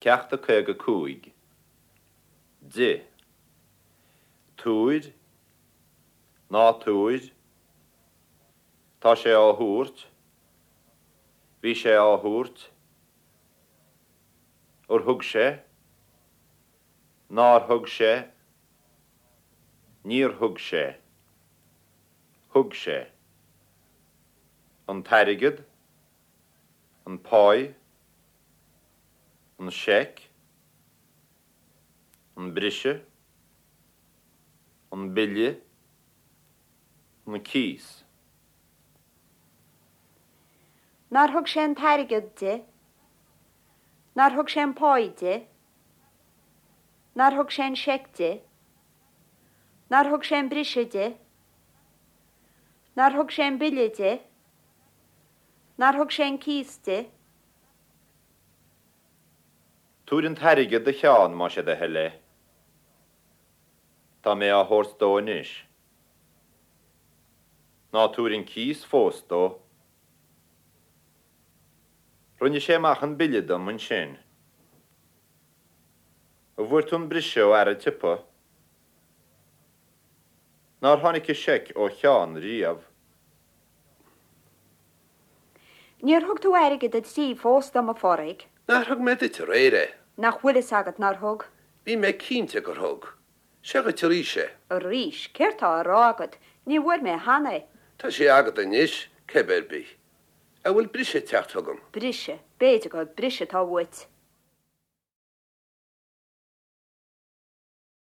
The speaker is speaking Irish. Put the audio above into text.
Ceacht 55. Di. Tabhair. Ná tabhair. Tá sé á thabhairt. Bhí sé á thabhairt. Ar thug sé? Nár thug sé? Níor thug sé. Thug sé. An t-airgead. An pháigh. An seic. An briseadh. An bille. An cíos. Nár thug sé an t-airgead di? Nár thug sé an pháigh di? Nár thug sé an seic di? Nár thug sé an briseadh di? Nár thug sé an bille di? Nár thug sé an cíos di? Tabhair an t-airgead do Sheán más é do thoil é. Tá mé á thabhairt dó anois. Ná tabhair an cíos fós dó. Rinne sé amach an bille dom ansin. An bhfuair tú an briseadh ó fhear an tsiopa? Nár tháinig an seic ó Sheán riamh? Níor thug tú airgead a dtrí fós dom, a Phádraig. Nár thug mé duit aréir é? Nach bhfuil fhios agat nár thug? Bhí mé cinnte gur thug. Seo dhuit arís é. Arís? Céard tá á rá agat? Ní bhfuair mé cheana é. Tá sé agat anois, cibé ar bith. An bhfuil briseadh ag teacht chugam? Briseadh? B'fhéidir gur briseadh atá uait.